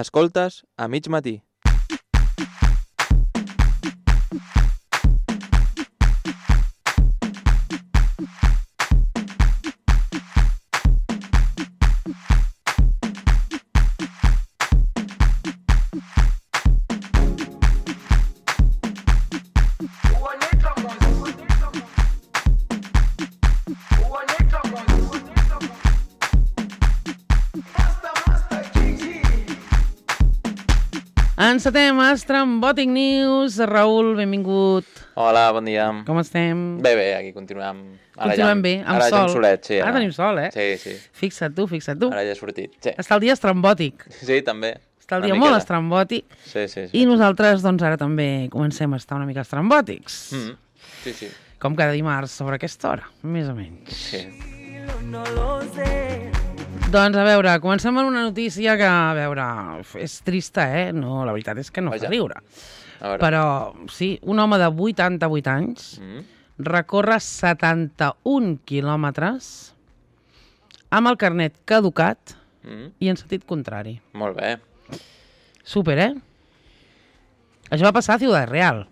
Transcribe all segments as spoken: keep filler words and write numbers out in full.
Escoltes a mig matí. Encetem Estrambòtic News. Raül, benvingut. Hola, bon dia. Com estem? Bé, bé, aquí continuem. Ara Continuem ja, bé, amb ara sol. ja amb solet, sí. Ara Ara tenim sol, eh? Sí, sí. Fixa't tu, fixa't tu. Ara ja ha sortit, sí. Està el dia estrambòtic. Sí, també. Està el Una dia miqueta. molt estrambòtic. Sí, sí, sí. I nosaltres, doncs, ara també comencem a estar una mica estrambòtics. Mm. Sí, sí. Com cada dimarts, sobre aquesta hora, més o menys. Sí. Doncs, a veure, comencem amb una notícia que, a veure, és trista, eh? No, la veritat és que no Vaja. fa riure. A veure. Però, sí, un home de vuitanta-vuit anys Mm. recorre setanta-un quilòmetres amb el carnet caducat Mm. i en sentit contrari. Molt bé. Súper, eh? Això va passar a Ciudad Real.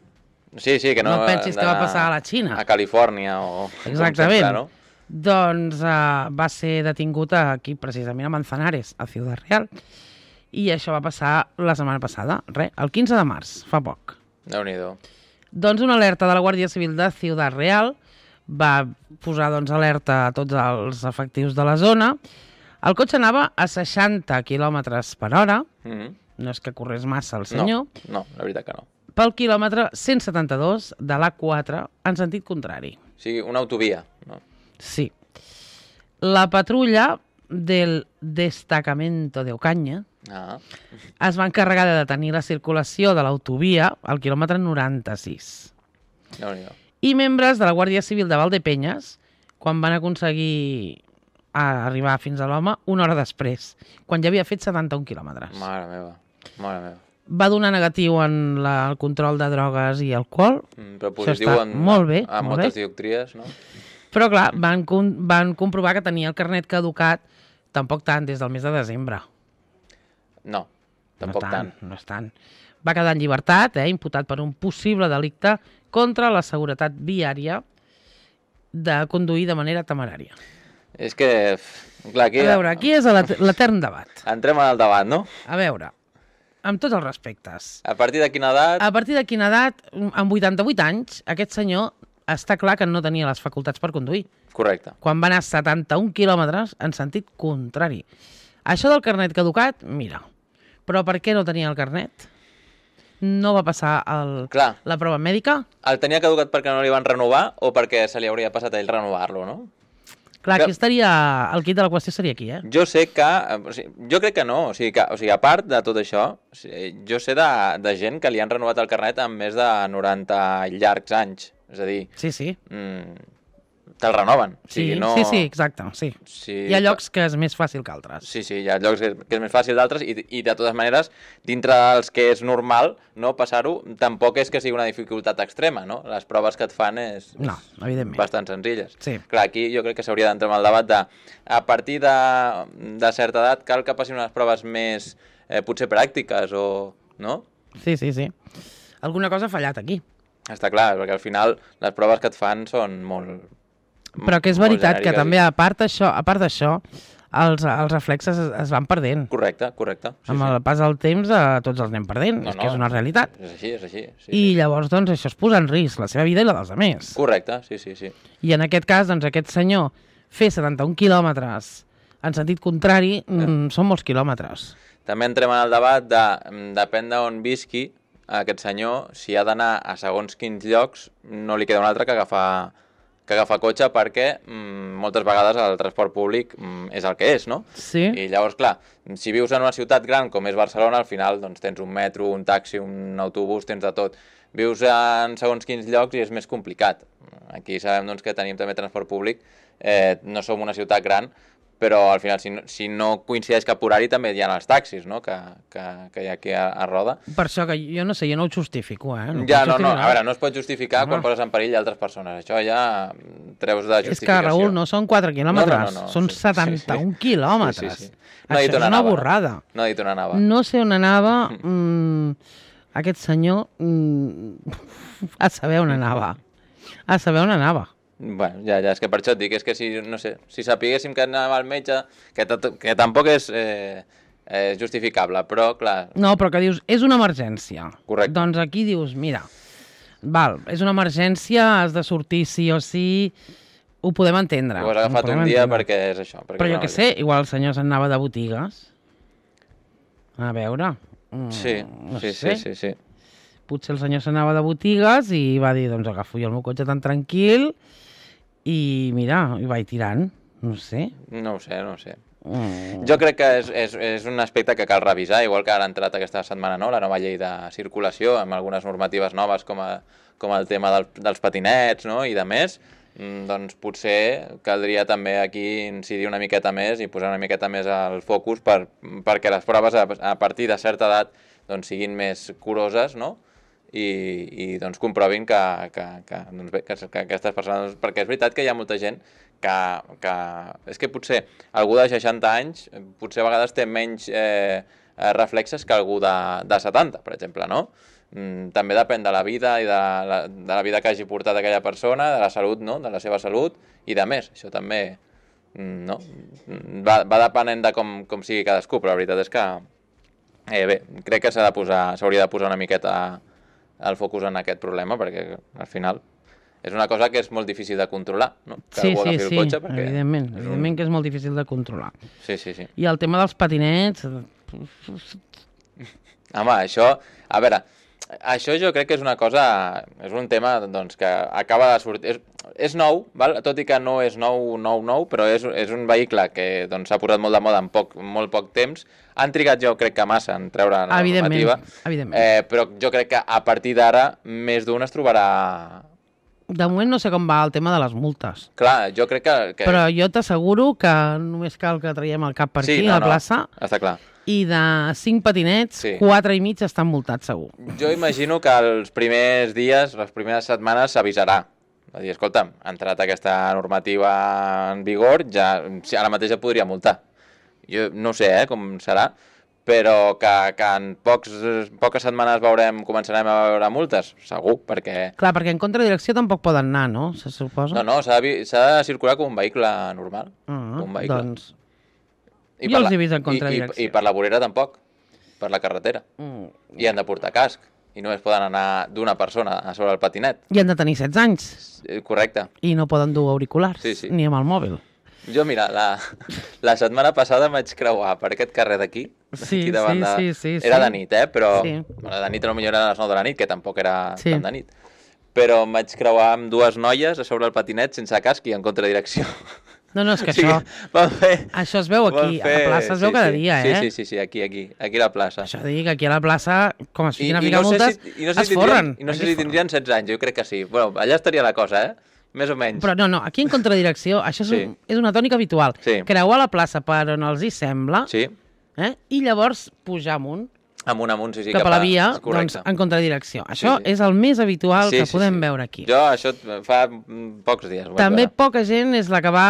Sí, sí, que no... No pensis que va d'anar passar a la Xina. A Califòrnia o... com Exactament. sempre, no? Doncs uh, va ser detingut aquí, precisament a Manzanares, a Ciudad Real. I això va passar la setmana passada, res, el quinze de març, fa poc. Déu-n'hi-do. Doncs una alerta de la Guàrdia Civil de Ciudad Real va posar doncs, alerta a tots els efectius de la zona. El cotxe anava a seixanta quilòmetres per hora, Mm. no és que corrés massa el senyor, No, no, la veritat que no. pel quilòmetre cent setanta-dos de l'A quatre en sentit contrari. O sigui, una autovia, no? Sí. La patrulla del Destacamento de Ocaña Ah. es va encarregar de detenir la circulació de l'autovia al quilòmetre noranta-sis. Déu-n'hi-do. I membres de la Guàrdia Civil de Valdepenyes, quan van aconseguir a arribar fins a l'home, una hora després, quan ja havia fet setanta-un quilòmetres. Mare meva, mare meva. Va donar negatiu en la, el control de drogues i alcohol, Mm, però Això positiu està en, molt bé, en molt moltes bé. dioptries, no? però clar, van, com- van comprovar que tenia el carnet caducat tampoc tant, des del mes de desembre. No, tampoc no tant. No és tant. Va quedar en llibertat, eh, imputat per un possible delicte contra la seguretat viària de conduir de manera temerària. És que, f- clar, aquí... A veure, aquí és l'et- l'etern debat. Entrem al debat, no? A veure, amb tots els respectes. A partir de quina edat... A partir de quina edat, amb vuitanta-vuit anys, aquest senyor està clar que no tenia les facultats per conduir. Correcte. Quan va anar a setanta-un quilòmetres en sentit contrari. Això del carnet caducat, mira, però per què no tenia el carnet? No va passar el, Clar, la prova mèdica? el tenia caducat perquè no li van renovar o perquè se li hauria passat a ell renovar-lo, no? Clar, Que- aquí estaria... El quid de la qüestió seria aquí, eh? Jo sé que... eh, O sigui, jo crec que no. O sigui, que, o sigui, a part de tot això, o sigui, jo sé de, de gent que li han renovat el carnet amb més de noranta llargs anys. És a dir, Sí, sí. mm, te'l renoven. O Sí, sigui, no... sí, sí, exacte, sí. Sí, Hi ha llocs que és més fàcil que altres. Sí, sí, hi ha llocs que que és més fàcil d'altres i, i de totes maneres, dintre dels que és normal no passar-ho, tampoc és que sigui una dificultat extrema, no? Les proves que et fan és, No, evidentment. bastant senzilles. Sí. Clar, aquí jo crec que s'hauria d'entrar en el debat de a partir de, de certa edat cal que passin unes proves més eh, potser pràctiques o... no? Sí, sí, sí. Alguna cosa ha fallat aquí. Està clar, perquè al final les proves que et fan són molt... Però que és molt veritat que genèriques també, i- a part d'això, a part d'això, els, els reflexes es, es van perdent. Correcte, correcte. Sí, Amb sí. el pas del temps eh, tots els anem perdent, No, és no, que és una realitat. És així, és així. Sí, I llavors, doncs, això es posa en risc, la seva vida i la dels altres. Correcte, sí, sí, sí. I en aquest cas, doncs, aquest senyor fer setanta-un quilòmetres en sentit contrari, mm, són molts quilòmetres. També entrem en el debat de, mm, depèn d'on visqui aquest senyor, si ha d'anar a segons quins llocs, no li queda un altre que agafar, que agafar cotxe perquè mm, moltes vegades el transport públic mm, és el que és, no? Sí? I llavors, clar, si vius en una ciutat gran com és Barcelona, al final doncs, tens un metro, un taxi, un autobús, tens de tot. Vius en segons quins llocs i és més complicat. Aquí sabem doncs, que tenim també transport públic, eh, no som una ciutat gran, però al final, si no, si no coincideix cap horari, també hi ha els taxis, no?, que, que, que hi ha aquí a, a Roda. Per això que jo no sé, jo no ho justifico, eh? No ho Ja, puc no, no, justificar. a veure, no es pot justificar Home. quan poses en perill altres persones. Això ja treus de És justificació. que, Raül, no són quatre quilòmetres, No, no, no, no, són sí, setanta-un sí, sí. quilòmetres. Sí, sí, sí. No ha dit Això on és una anava. borrada. No ha dit on anava. No sé on anava mm, aquest senyor, mm, a saber on anava. A saber on anava. Bueno, ja, ja, és que per això et dic, és que si, no sé, si sapiguéssim que anava al metge, que, que tampoc és eh, eh, justificable, però, clar... No, però que dius, és una emergència. Correcte. Doncs aquí dius, mira, val, és una emergència, has de sortir sí o sí, ho podem entendre. Ho has agafat un dia entendre. perquè és això. Perquè però és jo què sé, igual el senyor se'n anava de botigues. A veure... Mm, sí, no sí, sé. sí, sí, sí. Potser el senyor s'anava de botigues i va dir, doncs agafo jo el meu cotxe tan tranquil i mira, i vaig tirant, no sé. No ho sé, no ho sé. Mm. Jo crec que és, és, és un aspecte que cal revisar, igual que ara ha entrat aquesta setmana no, la nova llei de circulació, amb algunes normatives noves com, a, com el tema del, dels patinets no, i de més, doncs potser caldria també aquí incidir una miqueta més i posar una miqueta més el focus per, perquè les proves a, a partir de certa edat doncs, siguin més curoses, no? I, i doncs comprovin que, que, que, doncs bé, que, que aquestes persones... Perquè és veritat que hi ha molta gent que... que és que potser algú de seixanta anys potser a vegades té menys eh, reflexes que algú de, de setanta, per exemple, no? Mm, també depèn de la vida i de la, de la vida que hagi portat aquella persona, de la salut, no? De la seva salut i de més. Això també no? va, va depenent de com, com sigui cadascú, però la veritat és que eh, bé, crec que s'ha de posar, s'hauria de posar una miqueta el focus en aquest problema, perquè al final és una cosa que és molt difícil de controlar, no? Que sí, algú sí, agafi el sí, cotxe perquè evidentment, és evidentment un... que és molt difícil de controlar. Sí, sí, sí. I el tema dels patinets... Home, això, a veure, això jo crec que és una cosa, és un tema doncs, que acaba de sortir, és, és nou, val? Tot i que no és nou, nou, nou, però és, és un vehicle que doncs, s'ha posat molt de moda en poc, molt poc temps. Han trigat jo crec que massa en treure la normativa, evidentment. Eh, però jo crec que a partir d'ara més d'un es trobarà... De moment no sé com va el tema de les multes. Clar, jo crec que... que... Però jo t'asseguro que només cal que traiem el cap per sí, aquí, no, a la plaça, no, està clar. I de cinc patinets, sí. quatre i mig estan multats segur. Jo imagino que els primers dies, les primeres setmanes s'avisarà. Va dir, escolta'm, ha entrat aquesta normativa en vigor, ja, ara mateix ja podria multar. Jo no sé eh, com serà, però que, que en pocs, poques setmanes veurem, començarem a veure multes, segur, perquè... Clar, perquè en contradirecció tampoc poden anar, no? Se suposa? No, no, s'ha de, de circular com un vehicle normal. Ah, un vehicle. Doncs... I jo els la, he vist en contradirecció. I, i, I per la vorera tampoc, per la carretera. Mm. I han de portar casc, i només poden anar d'una persona a sobre el patinet. I han de tenir setze anys. Correcte. I no poden dur auriculars, sí, sí. ni amb el mòbil. Jo, mira, la, la setmana passada em vaig creuar per aquest carrer d'aquí. Sí, aquí davant sí, de... sí, sí. Era sí. de nit, eh? Però sí. bueno, de nit potser era a les nou de la nit, que tampoc era sí. tan de nit. Però em vaig creuar amb dues noies a sobre el patinet sense casc i en contradirecció. No, no, és que o sigui, això... Fer, això es veu aquí, fer... a la plaça es veu sí, cada sí, dia, sí, eh? Sí, sí, sí, aquí, aquí, aquí a la plaça. Això dic que aquí a la plaça, com es fiquin I, a ficar no multes, si, i no sé es si forren. I no sé si tindrien setze anys, jo crec que sí. Bueno, allà estaria la cosa, eh? Més o menys. Però no, no, aquí en contradirecció, això és, sí. un, és una tònica habitual. Sí. Creuar la plaça per on els hi sembla, sí. eh? I llavors pujar amunt, amunt, amunt, sí, sí, cap, cap a la via, doncs, en contradirecció. Això sí, sí. és el més habitual sí, que sí, podem sí. veure aquí. Jo això fa pocs dies. També veure. poca gent és la que va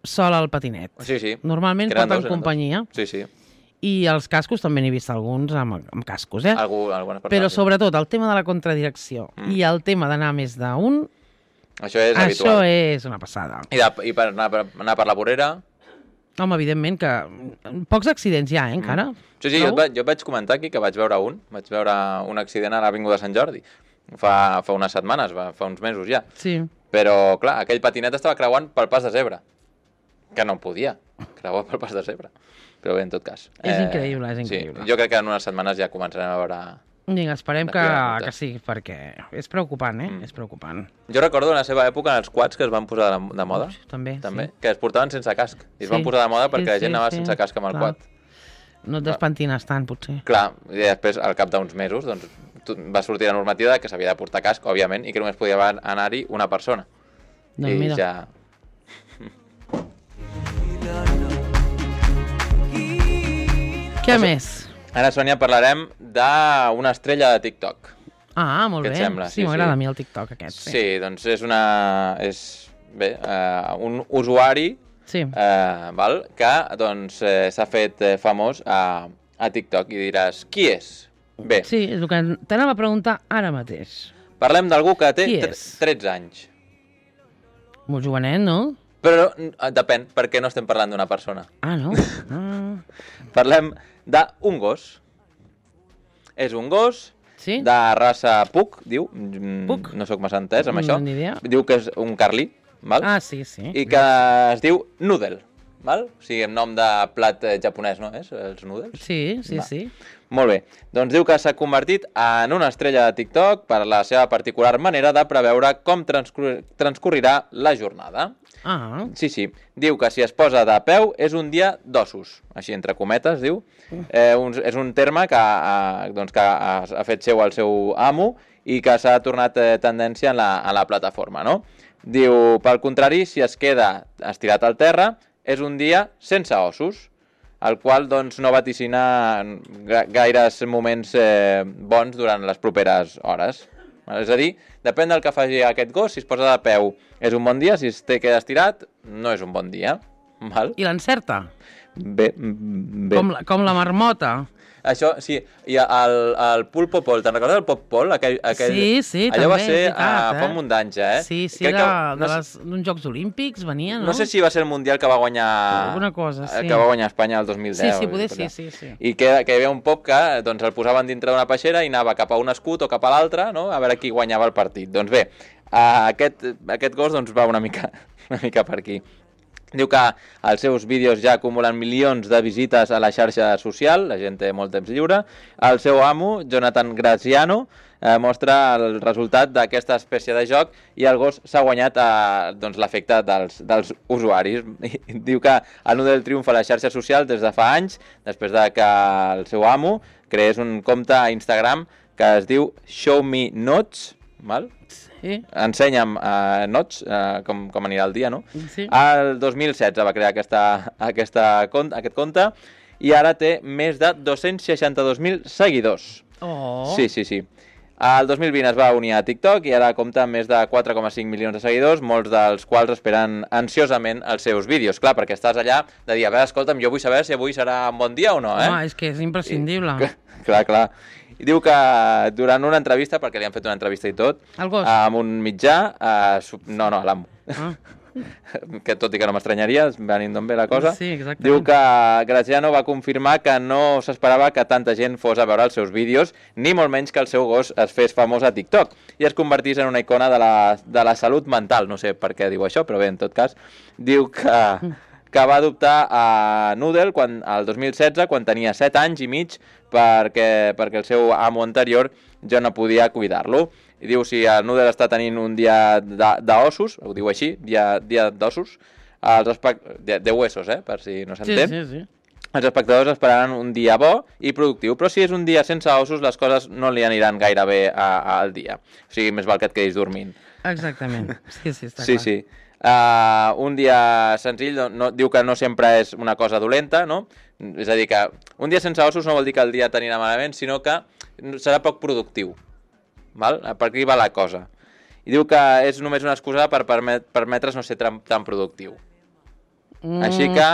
sola al patinet. Sí, sí. Normalment porten companyia. Dos. Sí, sí. I els cascos també n'he vist alguns amb, amb cascos, eh? Algú, algunes persones. Però sobretot el tema de la contradirecció mm. i el tema d'anar més d'un, això és això habitual. és una passada. I, de, i per, anar, per anar per la vorera? Home, evidentment que pocs accidents hi ha, eh, encara. Mm. Sí, sí, jo et, jo et vaig comentar aquí que vaig veure un. Vaig veure un accident a l'Avinguda de Sant Jordi. Fa, fa unes setmanes, va, fa uns mesos ja. Sí. Però, clar, aquell patinet estava creuant pel pas de zebra. Que no podia creuar pel pas de zebra. Però bé, en tot cas. És eh, increïble, és increïble. Sí, jo crec que en unes setmanes ja començarem a veure... Vinga, esperem que, que sí, perquè és preocupant, eh? Mm. És preocupant. Jo recordo en la seva època en els quads que es van posar de, de moda. Ux, també, també sí. Que es portaven sense casc. I es sí. van posar de moda perquè sí, la gent sí, anava sí, sense casc amb el clar. quad. No et despentines tant, potser. Clar, i després, al cap d'uns mesos, doncs, va sortir la normativa que s'havia de portar casc, òbviament, i que només podia anar-hi una persona. Doncs I mira. ja... Què més? Ara, Sònia, parlarem d'una estrella de TikTok. Ah, molt Què bé. et sembla? Sí, Sí, m'agrada sí. a mi el TikTok aquest. Sí, Sí, doncs és una... És, bé, uh, un usuari sí. eh, val? que doncs, eh, s'ha fet eh, famós a, a TikTok i diràs, qui és? Bé, Sí, és el que t'anava a preguntar ara mateix. parlem d'algú que té Qui tre- és? tretze anys. Molt jovenet, no? Però eh, depèn, perquè no estem parlant d'una persona. Ah, no? Ah. Parlem d'un gos. És un gos Sí? de raça Pug, diu. Mm, Pug? No sóc massa entès amb No, això. ni idea. Diu que és un carlí, val? Ah, sí, sí. I que es diu Noodle, val? O sigui, en nom de plat eh, japonès, no és? Els noodles? Sí, sí, Va. sí. Molt bé. Doncs diu que s'ha convertit en una estrella de TikTok per la seva particular manera de preveure com transcur transcorrirà la jornada. Ah, Sí, sí. Diu que si es posa de peu és un dia d'ossos. Així, entre cometes, diu. Eh, un, és un terme que, ha, doncs, que ha, ha fet seu el seu amo i que s'ha tornat eh, tendència en la, en la plataforma, no? Diu, pel contrari, si es queda estirat al terra, és un dia sense ossos, el qual doncs, no vaticina ga- gaires moments eh, bons durant les properes hores. És a dir, depèn del que faci aquest gos, si es posa de peu és un bon dia, si es té queda estirat no és un bon dia. Val? i l'encerta? Bé, bé. Com la, com la marmota? Això, sí, i el, el Pulpo Pol, te'n recordes del Pop Pol? Aquell, aquell... Sí, sí, Allò va també, ser és veritat, uh, eh? fa un munt d'anys, eh? Sí, sí, Crec de, que, de no, les, d'uns Jocs Olímpics venia, no? no sé si va ser el Mundial que va guanyar... Alguna cosa, sí. Que va guanyar Espanya el dos mil deu. Sí, sí, poder sí, sí, sí. I que, que hi havia un pop que doncs, el posaven dintre d'una peixera i anava cap a un escut o cap a l'altre, no? A veure qui guanyava el partit. Doncs bé, uh, aquest, aquest gos doncs, va una mica, una mica per aquí. Diu que els seus vídeos ja acumulen milions de visites a la xarxa social, la gent té molt temps lliure. El seu amo, Jonathan Graziano, eh, mostra el resultat d'aquesta espècie de joc i el gos s'ha guanyat eh, doncs, l'efecte dels, dels usuaris. I diu que el Noodle triomfa a la xarxa social des de fa anys, després de que el seu amo creés un compte a Instagram que es diu Show Me Notes, val? Sí, Ensenya'm uh, nots, uh, com, com anirà el dia, no? sí. El dos mil setze va crear aquesta, aquesta, compte, aquest compte i ara té més de dos-cents seixanta-dos mil seguidors. Oh. Sí, sí, sí. El dos mil vint es va unir a TikTok i ara compta amb més de quatre coma cinc milions de seguidors, molts dels quals esperen ansiosament els seus vídeos. Clar, perquè estàs allà de dir, a veure, escolta'm, jo vull saber si avui serà un bon dia o no, eh? Home, és que és imprescindible. I, clar, clar. I diu que durant una entrevista, perquè li han fet una entrevista i tot, El gos? amb un mitjà, eh, no, no, a l'amo, Ah. que tot i que no m'estranyaria, venint d'on ve la cosa, Sí, exactament. diu que Graziano va confirmar que no s'esperava que tanta gent fos a veure els seus vídeos, ni molt menys que el seu gos es fes famós a TikTok i es convertís en una icona de la, de la salut mental. No sé per què diu això, però bé, en tot cas, diu que, que va adoptar a Noodle quan, el dos mil setze, quan tenia set anys i mig, perquè, perquè el seu amo anterior ja no podia cuidar-lo. I diu, si el Noodle està tenint un dia d'ossos, ho diu així, dia, dia d'ossos, els de, de huesos, eh, per si no Sí, s'entén, sí, sí. els espectadors esperaran un dia bo i productiu, però si és un dia sense ossos, les coses no li aniran gaire bé a, a, al dia. O sigui, més val que et quedis dormint. Exactament. Sí, sí, està Sí, clar. sí. Uh, un dia senzill, no, no, diu que no sempre és una cosa dolenta, no? És a dir, que un dia sense ossos no vol dir que el dia t'anirà malament, sinó que serà poc productiu. Val? Per aquí va la cosa. I diu que és només una excusa per permet, permetre's no ser tan, tan productiu. Mm. Així que,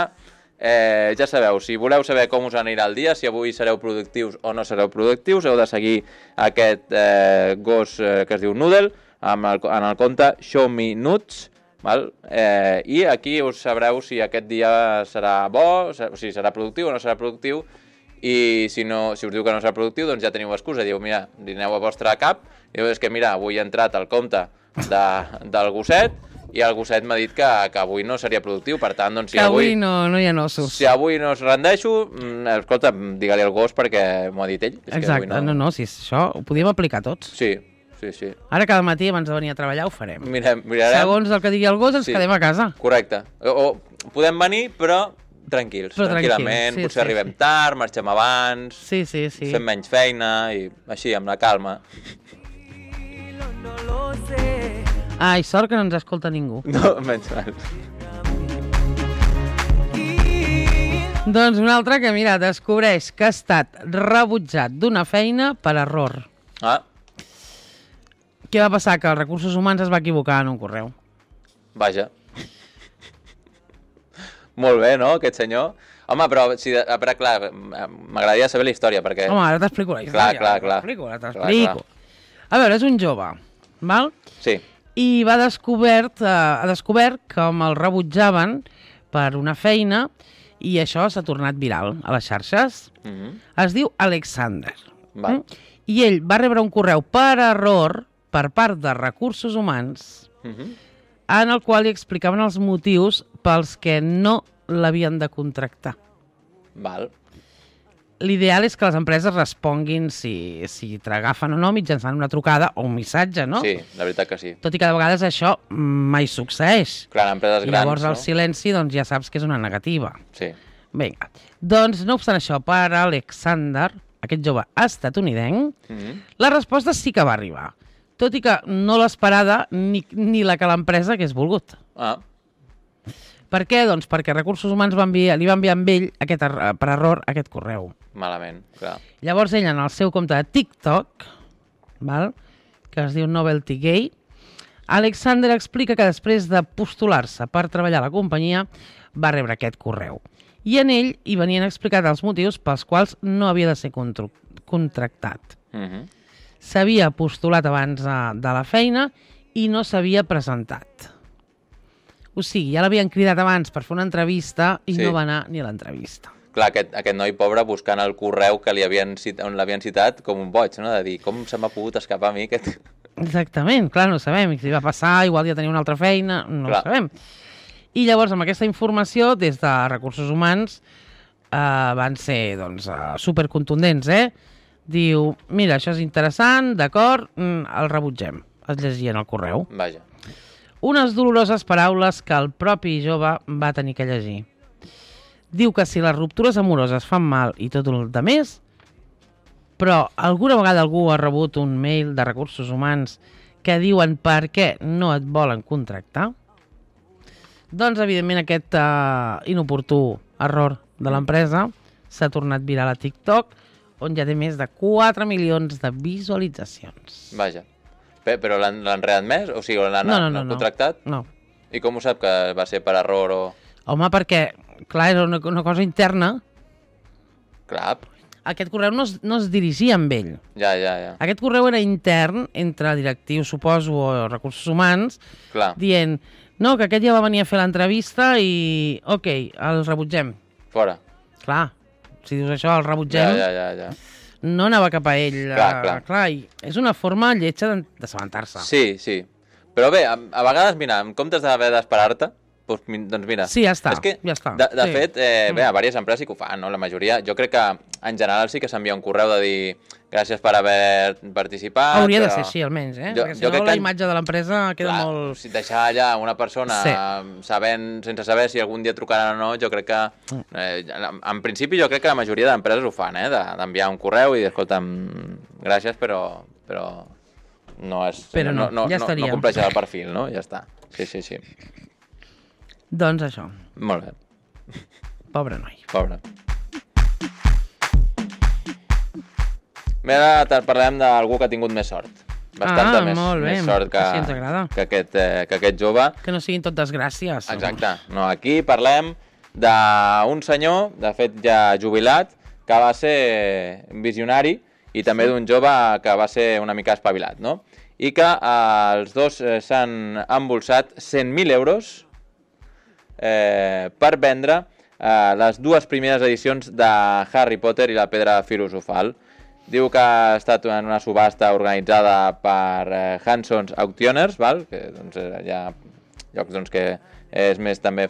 eh, ja sabeu, si voleu saber com us anirà el dia, si avui sereu productius o no sereu productius, heu de seguir aquest eh, gos eh, que es diu Noodle, amb el, en el compte Show Me Nuts, val? Eh, i aquí us sabreu si aquest dia serà bo, o sigui, serà productiu o no serà productiu, i si, no, si us diu que no serà productiu, doncs ja teniu excusa. Diu, mira, li aneu a vostre cap, diu, és que mira, avui he entrat al compte de, del gosset i el gosset m'ha dit que, que avui no seria productiu, per tant, doncs si Que avui avui, no, no hi ha ossos. si avui no es rendeixo, mm, escolta, digue-li al gos perquè m'ho ha dit ell. És que Exacte, avui no, no, si és això ho podíem aplicar tots. Sí, sí, sí. Ara cada matí abans de venir a treballar ho farem. Mirem, mirarem. Segons el que digui el gos ens Sí. quedem a casa. Correcte. O, o podem venir, però tranquils, Però tranquil·lament, tranquils, sí, potser sí, arribem sí. tard, marxem abans, Sí, sí, sí. fem menys feina i així, amb la calma. Ai, sort que no ens escolta ningú. No, menys mal. Doncs un altre que, mira, descobreix que ha estat rebutjat d'una feina per error. Ah, Què va passar? Que els recursos humans es va equivocar en un correu. vaja. Molt bé, no, aquest senyor? Home, però, si, però clar, m'agradaria saber la història, perquè... Home, ara t'explico la història. Clar, clar, clar. T'explico, ara t'explico. A veure, és un jove, val? Sí. I va descobert, eh, ha descobert com el rebutjaven per una feina i això s'ha tornat viral a les xarxes. Mm-hmm. Es diu Alexander. Val. Mm? I ell va rebre un correu per error per part de Recursos Humans Mm-hmm. en el qual li explicaven els motius pels que no l'havien de contractar. Val. L'ideal és que les empreses responguin si, si t'agafen o no mitjançant una trucada o un missatge, no? Sí, la veritat que sí. Tot i que de vegades això mai succeeix. Clar, en empreses I grans, llavors el no? silenci doncs, ja saps que és una negativa. Sí. Vinga. Doncs, no obstant això, per Alexander, aquest jove estatunidenc, Mm-hmm. la resposta sí que va arribar. Tot i que no l'esperada ni, ni la que l'empresa hagués volgut. Ah, Per què? Doncs perquè Recursos Humans va enviar, li va enviar amb ell, aquest, er- per error, aquest correu. malament, clar. Llavors ell, en el seu compte de TikTok, val? Que es diu Novelty Gay, Alexander explica que després de postular-se per treballar a la companyia va rebre aquest correu. I en ell hi venien explicats els motius pels quals no havia de ser contru- contractat. Mm-hmm. S'havia postulat abans de, de la feina i no s'havia presentat. O sigui, ja l'havien cridat abans per fer una entrevista i Sí. no va anar ni a l'entrevista. Clar, aquest, aquest noi pobre buscant el correu que li havien cit, on l'havien citat com un boig, no? De dir, com se m'ha pogut escapar a mi aquest... Exactament, clar, no ho sabem. Si va passar, igual ja tenia una altra feina, no Clar. ho sabem. I llavors, amb aquesta informació, des de Recursos Humans, eh, van ser doncs, eh, supercontundents, eh? Diu, mira, això és interessant, d'acord, mm, el rebutgem. Es llegien el correu. Vaja. Unes doloroses paraules que el propi jove va tenir que llegir. Diu que si les ruptures amoroses fan mal i tot el de més, però alguna vegada algú ha rebut un mail de Recursos Humans que diuen per què no et volen contractar? Doncs, evidentment, aquest uh, inoportú error de l'empresa s'ha tornat viral a TikTok, on ja té més de quatre milions de visualitzacions. Vaja. Bé, però l'han l'han readmès? O sigui, l'han No, no, no, l'han no. contractat? No. I com ho sap que va ser per error o... Home, perquè, clar, era una, una cosa interna. Clar, Aquest correu no es, no es dirigia amb ell. ja, ja, ja. Aquest correu era intern entre directius, suposo, o Recursos Humans, Clar, dient, no, que aquest ja va venir a fer l'entrevista i, ok, el rebutgem. fora. Clar, si dius això, el Ja, rebutgem, ja, ja, ja. no anava cap a ell. Clar, eh, clar. clar, i és una forma lletja de- d'assabentar-se. Sí, sí. Però bé, a, a vegades, mira, en comptes d'haver d'esperar-te, doncs, mi- doncs mira... Sí, ja està, És que, ja està, De, de sí. fet, eh, bé, Mm. a diverses empreses sí que ho fan, no? La majoria. Jo crec que, en general, sí que s'envia un correu de dir gràcies per haver participat. Hauria de però- ser així, almenys, eh? Jo- Perquè si jo no, crec la que- imatge de l'empresa queda Clar, molt... si deixar allà una persona Sí. sabent, sense saber si algun dia trucaran o no, jo crec que, Mm. eh, en, en principi jo crec que la majoria d'empreses ho fan, eh, de- d'enviar un correu i dir, escolta'm, gràcies, però, però no és... Però no, no, ja no, estaria. no compleixes el perfil, no? Ja està. Sí, sí, sí. Doncs això, Molt bé. pobre noi. Pobre. Bé, ara te- parlem d'algú que ha tingut més sort. Bastanta Ah, més, molt bé, més sort que, així ens agrada. que, aquest, eh, que aquest jove. Que no siguin tot desgràcies. Exacte. No, aquí parlem d'un senyor, de fet ja jubilat, que va ser visionari i també d'un jove que va ser una mica espavilat, no? I que eh, els dos eh, s'han embolsat cent mil euros eh, per vendre eh, les dues primeres edicions de Harry Potter i la Pedra Filosofal. Diu que ha estat en una subhasta organitzada per eh, Hanson's Auctioners, val? Que doncs, eh, hi ha llocs doncs, que és més també...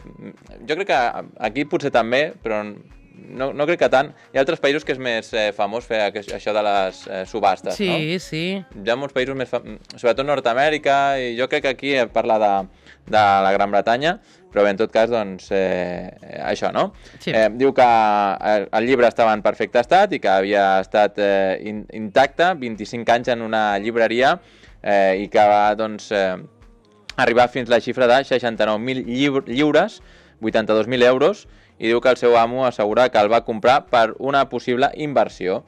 Jo crec que aquí potser també, però no, no crec que tant. Hi ha altres països que és més eh, famós fer aqu- això de les eh, subhastes, Sí, no? sí. Hi ha molts països més... Fam... Sobretot Nord-Amèrica, i jo crec que aquí parla de, de la Gran Bretanya, però bé, en tot cas, doncs, eh, això, no? Sí. Eh, diu que el, el llibre estava en perfecte estat i que havia estat eh, in, intacte, vint-i-cinc anys en una llibreria, eh, i que va, doncs, eh, arribar fins la xifra de seixanta-nou mil lliures, vuitanta-dos mil euros, i diu que el seu amo assegura que el va comprar per una possible inversió.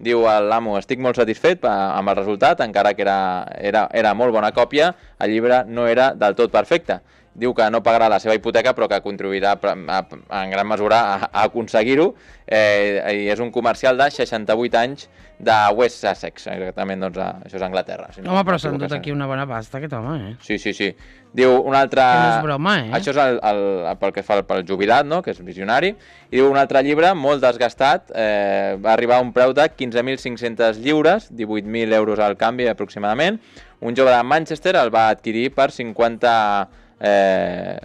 Diu l'amo, estic molt satisfet amb el resultat, encara que era, era, era molt bona còpia, el llibre no era del tot perfecte. diu que no pagarà la seva hipoteca però que contribuirà en gran mesura a, a aconseguir-ho, eh, i és un comercial de seixanta-vuit anys de West Sussex, exactament, doncs a, això és Anglaterra. Si no, home, però s'ha endut aquí una bona pasta, aquest home, eh? Sí, sí, sí. Diu un altre... Que no és broma, eh? Això és el, el, pel que fa pel jubilat, no?, que és visionari. I diu un altre llibre, molt desgastat, eh, va arribar a un preu de quinze mil cinc-cents lliures, divuit mil euros al canvi aproximadament. Un jove de Manchester el va adquirir per cinquanta, eh,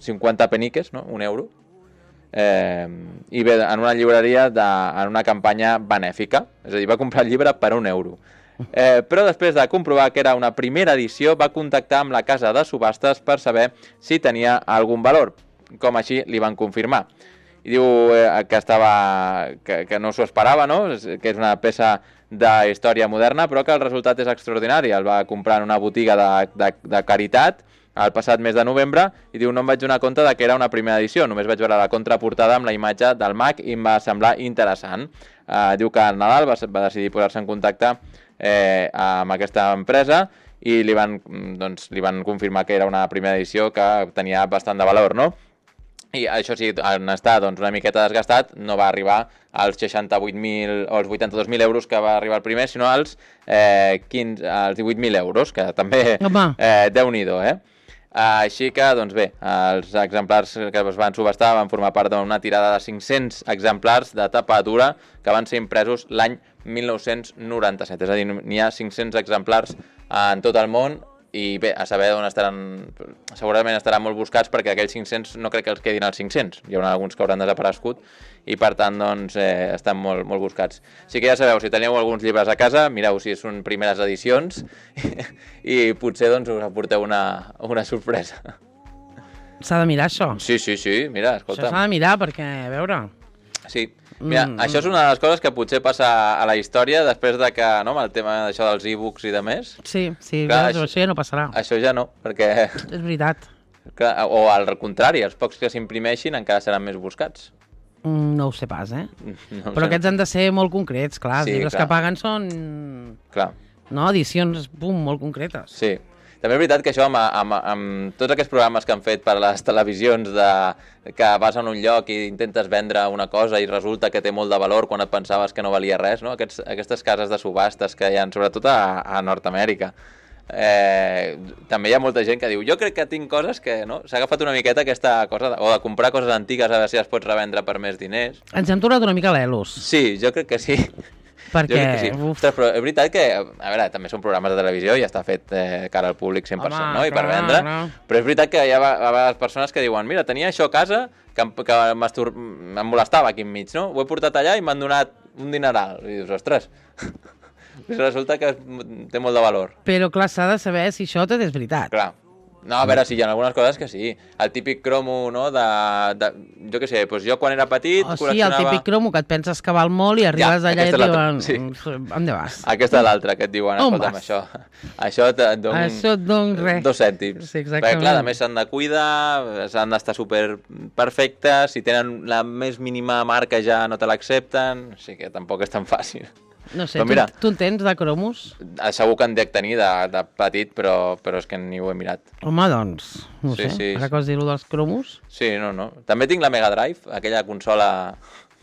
cinquanta peniques, no?, un euro. Eh, I bé, en una llibreria, de, en una campanya benèfica. És a dir, va comprar el llibre per un euro. Eh, però després de comprovar que era una primera edició, va contactar amb la casa de subhastes per saber si tenia algun valor, com així li van confirmar. I diu eh, que, estava, que, que no s'ho esperava, no?, que és una peça de història moderna, però que el resultat és extraordinari. El va comprar en una botiga de, de, de caritat el passat mes de novembre i diu no em vaig donar compte de que era una primera edició, només vaig veure la contraportada amb la imatge del mag i em va semblar interessant. Eh, diu que al Nadal va, va decidir posar-se en contacte eh, amb aquesta empresa i li van, doncs, li van confirmar que era una primera edició que tenia bastant de valor, no? I això sí, en estar doncs, una miqueta desgastat, no va arribar als seixanta-vuit mil o als vuitanta-dos mil euros que va arribar el primer, sinó als, eh, quinze, als divuit mil euros, que també eh, déu-n'hi-do, eh? Així que, doncs bé, els exemplars que es van subhastar van formar part d'una tirada de cinc-cents exemplars de tapa dura que van ser impresos l'any mil nou-cents noranta-set. És a dir, n'hi ha cinc-cents exemplars en tot el món i bé, a saber on estaran, segurament estaran molt buscats perquè aquells cinc-cents no crec que els quedin als cinc-cents. Hi haurà alguns que hauran desaparegut i per tant doncs, eh, estan molt, molt buscats. Així que ja sabeu, si teniu alguns llibres a casa, mireu si són primeres edicions i potser doncs, us aporteu una, una sorpresa. S'ha de mirar això. Sí, sí, sí, mira, escolta. Això s'ha de mirar perquè, a veure... Sí, mira, mm, això és una de les coses que potser passa a la història després de que, no, amb el tema d'això dels e-books i de més. Sí, sí, clar, això, això ja no passarà. Això ja no, perquè... És veritat. Clar, o al contrari, els pocs que s'imprimeixin encara seran més buscats. Mm, no ho sé pas, eh? No Però sé. Aquests han de ser molt concrets, clar. Sí, Els llibres clar. que paguen són... Clar. No, edicions, pum, molt concretes. Sí. També és veritat que això, amb, amb, amb tots aquests programes que han fet per a les televisions de, que vas a un lloc i intentes vendre una cosa i resulta que té molt de valor quan et pensaves que no valia res, no? Aquests, aquestes cases de subhastes que hi ha, sobretot a, a Nord-Amèrica. Eh, també hi ha molta gent que diu jo crec que tinc coses que, no? S'ha agafat una miqueta aquesta cosa, de, o de comprar coses antigues a veure si les pots revendre per més diners. Ens hem tornat una mica l'Elos. Sí, jo crec que sí. Perquè... Jo crec que sí. Ostres, però és veritat que, a veure, també són programes de televisió i està fet eh, cara al públic cent per cent, Home, no? I per clar, vendre. clar. Però és veritat que hi ha a vegades persones que diuen mira, tenia això a casa que, em- que m'estur... em molestava aquí enmig, no? Ho he portat allà i m'han donat un dineral. I dius, ostres, resulta que té molt de valor. Però clar, s'ha de saber si això tot és veritat. Clar. No, a veure, sí, hi ha algunes coses que sí. El típic cromo, no?, de... de jo què sé, doncs jo quan era petit O sigui, el col·leccionava... típic cromo que et penses que val molt i arribes allà i aquesta et és la- diuen... sí. On vas? Aquesta és l'altra que et diuen, On escolta'm, vas? això, això et et dono Això et dono res. dos cèntims. Sí, exactament. Perquè, clar, a més s'han de cuidar, s'han d'estar super perfectes, si tenen la més mínima marca ja no te l'accepten, o sigui que tampoc és tan fàcil. No sé, Però tu, mira. tu en tens de cromos? Segur que en dec tenir de, de petit, però, però és que ni ho he mirat. Home, doncs, no Sí, sé, sí, ara sí. que has dit-ho dels cromos... Sí, no, no. També tinc la Mega Drive, aquella consola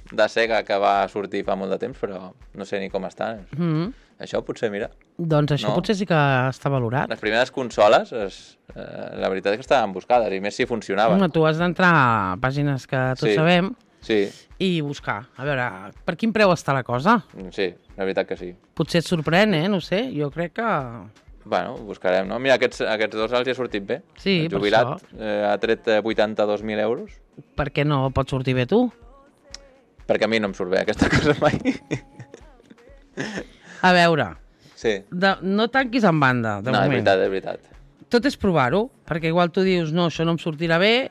de Sega que va sortir fa molt de temps, però no sé ni com està. Mm -hmm. Això potser, mira. Doncs això No. potser sí que està valorat. Les primeres consoles, es, eh, la veritat és que estaven buscades, i més si funcionaven. Home, tu has d'entrar a pàgines que tots Sí. sabem Sí, i buscar. A veure, per quin preu està la cosa? sí, la veritat que sí. Potser et sorprèn, eh? No ho sé, jo crec que... Bueno, ho buscarem, no? Mira, aquests, aquests dos els hi ha sortit bé. Sí, El per jubilat això. eh, ha tret eh, vuitanta-dos mil euros, Per què no pot sortir bé tu? perquè a mi no em surt bé aquesta cosa mai. A veure, Sí. de, no tanquis en banda, de No, és moment. veritat, és veritat. Tot és provar-ho, perquè igual tu dius, no, això no em sortirà bé,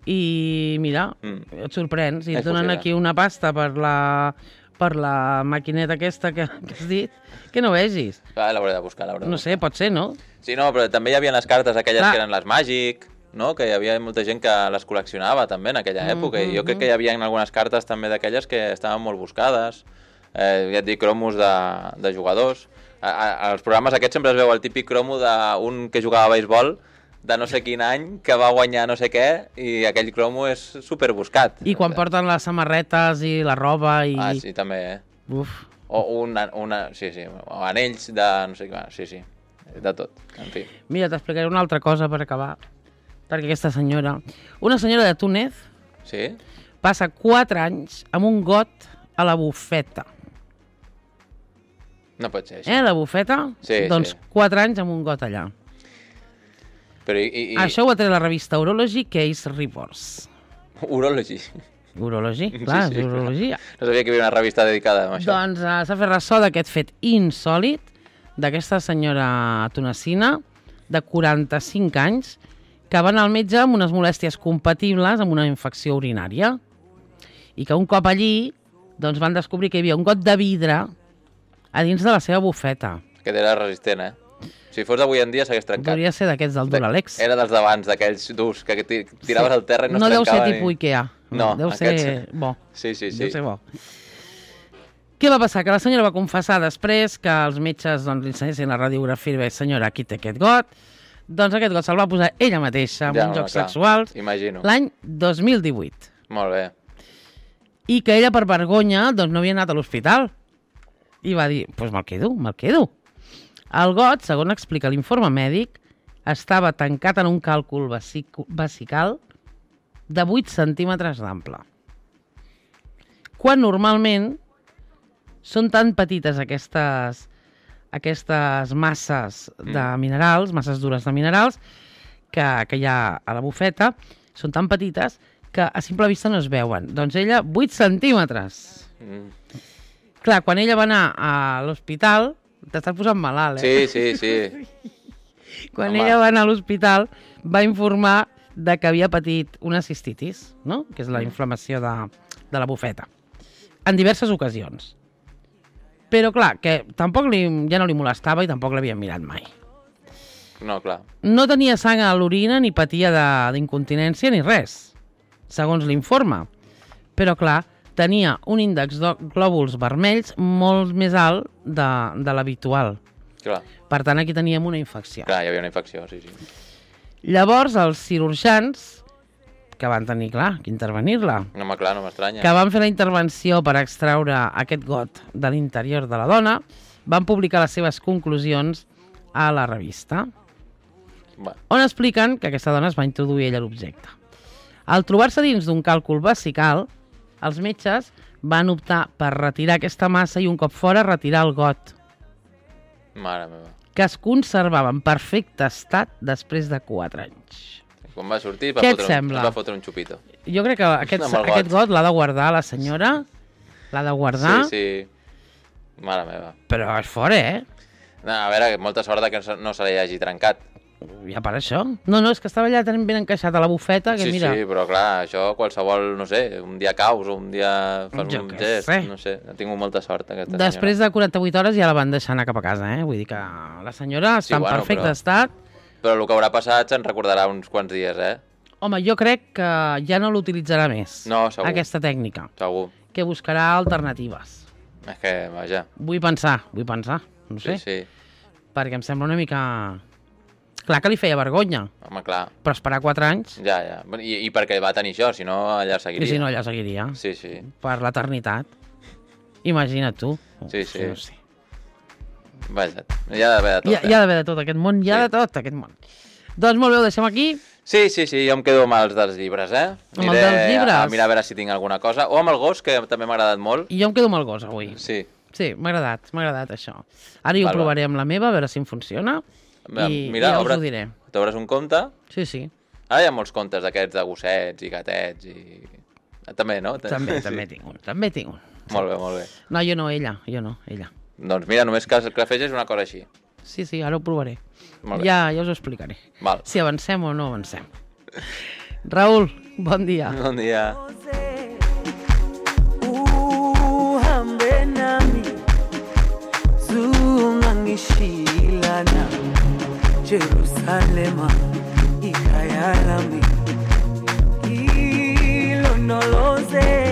i mira, Mm. et sorprens, i És et donen possible. aquí una pasta per la, per la maquineta aquesta que, que has dit, que no vegis. Clar, l'hauré de buscar, l'hauré de No buscar. sé, pot ser, no? Sí, no, però també hi havia les cartes aquelles Clar. que eren les Magic, no? Que hi havia molta gent que les col·leccionava també en aquella època, i jo crec que hi havia algunes cartes també d'aquelles que estaven molt buscades, eh, ja et dic, cromos de, de jugadors. A, a, als programes aquests sempre es veu el típic cromo d'un que jugava a béisbol de no sé quin any que va guanyar no sé què i aquell cromo és superbuscat. I quan porten les samarretes i la roba i... Ah, sí, també, eh? Uf. O una, una, sí, sí, o anells de no sé què, sí, sí, de tot, en fi. Mira, t'explicaré una altra cosa per acabar, perquè aquesta senyora, una senyora de Túnez, Sí? passa quatre anys amb un got a la bufeta. No pot ser això. Eh, la bufeta? Sí, doncs sí. quatre anys amb un got allà. Però i... i, i... Això ho ha tret la revista Urology Case Reports. Urology. Urology, clar, Sí, sí, és urologia. No sabia que hi havia una revista dedicada a això. Doncs uh, s'ha fet ressò d'aquest fet insòlit d'aquesta senyora tunecina de quaranta-cinc anys que va anar al metge amb unes molèsties compatibles amb una infecció urinària i que un cop allí doncs van descobrir que hi havia un got de vidre a dins de la seva bufeta. Aquest era resistent, eh? Si fos d'avui en dia s'hagués trencat. Podria ser d'aquests del Duralex. Era dels d'abans, d'aquells durs, que ti- tiraves al terra i no, no es deu ser trencava tipus Ikea. No, deu ser aquests- bo. Sí, sí, sí. Deu ser bo. Què va passar? Que la senyora va confessar després que els metges doncs, li ensenyessin la radiografia i va dir, senyora, aquí té aquest got. Doncs aquest got se'l va posar ella mateixa amb Ja, uns home, jocs clar. sexuals Imagino. l'any dos mil divuit. Molt bé. I que ella, per vergonya, doncs no havia anat a l'hospital. I va dir, doncs pues me'l quedo, me'l quedo. El got, segons explica l'informe mèdic, estava tancat en un càlcul vesic vesical de vuit centímetres d'ample. Quan normalment són tan petites aquestes, aquestes masses de minerals, masses dures de minerals, que, que hi ha a la bufeta, són tan petites que a simple vista no es veuen. Doncs ella, vuit centímetres. Mm. Clar, quan ella va anar a l'hospital, t'estàs posant malalt, eh? Sí, sí, sí. Quan Home. ella va anar a l'hospital, va informar de que havia patit una cistitis, no? Que és la inflamació de, de la bufeta, en diverses ocasions. Però clar, que tampoc li, ja no li molestava i tampoc l'havien mirat mai. No, clar. No tenia sang a l'orina ni patia de- d'incontinència ni res, segons l'informe. Però clar, tenia un índex de glòbuls vermells molt més alt de, de l'habitual. Clar, Per tant, aquí teníem una infecció. clar, hi havia una infecció, sí, sí. Llavors, els cirurgians, que van tenir, clar, que intervenir-la, No, home, clar, no m'estranya. que van fer la intervenció per extraure aquest got de l'interior de la dona, van publicar les seves conclusions a la revista, Va. on expliquen que aquesta dona es va introduir ella l'objecte. Al trobar-se dins d'un càlcul vesical, els metges van optar per retirar aquesta massa i un cop fora retirar el got, Mare meva. que es conservava en perfecte estat després de quatre anys. Quan va sortir va Què et fotre, sembla? un, va fotre un xupito. Jo crec que aquest, Amb el got. aquest got l'ha de guardar la senyora, l'ha de guardar, Sí, sí. Mare meva. però és fora, eh? No, a veure, molta sort de que no se- no se li hagi trencat. Ja per això. No, no, és que estava allà tan ben encaixat a la bufeta que Sí, mira... sí, però clar, això qualsevol, no sé, un dia caus o un dia fas Jo un què gest, sé. no sé, ha tingut molta sort aquesta Després senyora. de quaranta-vuit hores ja la van deixar anar cap a casa, eh? Vull dir que la senyora Sí, està en bueno, perfecte però- estat. Però el que haurà passat se'n recordarà uns quants dies, eh? Home, jo crec que ja no l'utilitzarà més, No, segur. aquesta tècnica, Segur. que buscarà alternatives. És que, vaja, Vull pensar, vull pensar, no sí, sé, sí. perquè em sembla una mica... Clar que li feia vergonya, Home, clar, però esperar quatre anys, ja, ja. Bueno, I, I perquè va tenir això, si no, allà seguiria. i si no, allà seguiria, Sí, sí. per l'eternitat. Imagina't tu. Sí, sí. No sé. Vaja, hi ha d'haver de tot, Hi ha, hi ha d'haver de tot aquest món, hi ha Sí. de tot aquest món. Doncs molt bé, ho deixem aquí. Sí, sí, sí, jo em quedo amb els dels llibres, eh? Amb els dels llibres? A, a mirar a veure si tinc alguna cosa. O amb el gos, que també m'ha agradat molt. I jo em quedo amb el gos avui. Sí. Sí, m'ha agradat, m'ha agradat això. Ara jo Val, ho provaré amb la meva, a veure si em funciona. I, Mira, i ja us obre- ho diré. T'obres un compte. Sí, sí, Ara hi ha molts comptes d'aquests de gossets i gatets i... També, no? també, Sí. també tinc un, també tinc un. Molt bé, molt bé. No, jo no, ella, jo no, ella. Doncs mira, només que clafeges una cosa així. Sí, sí, ara ho provaré. Molt bé. Ja, ja us ho explicaré. Val. Si avancem o no avancem. Raül, bon dia. Bon dia. uhambe nami zungangishilana Jerusalema ikhaya lami ilondoloze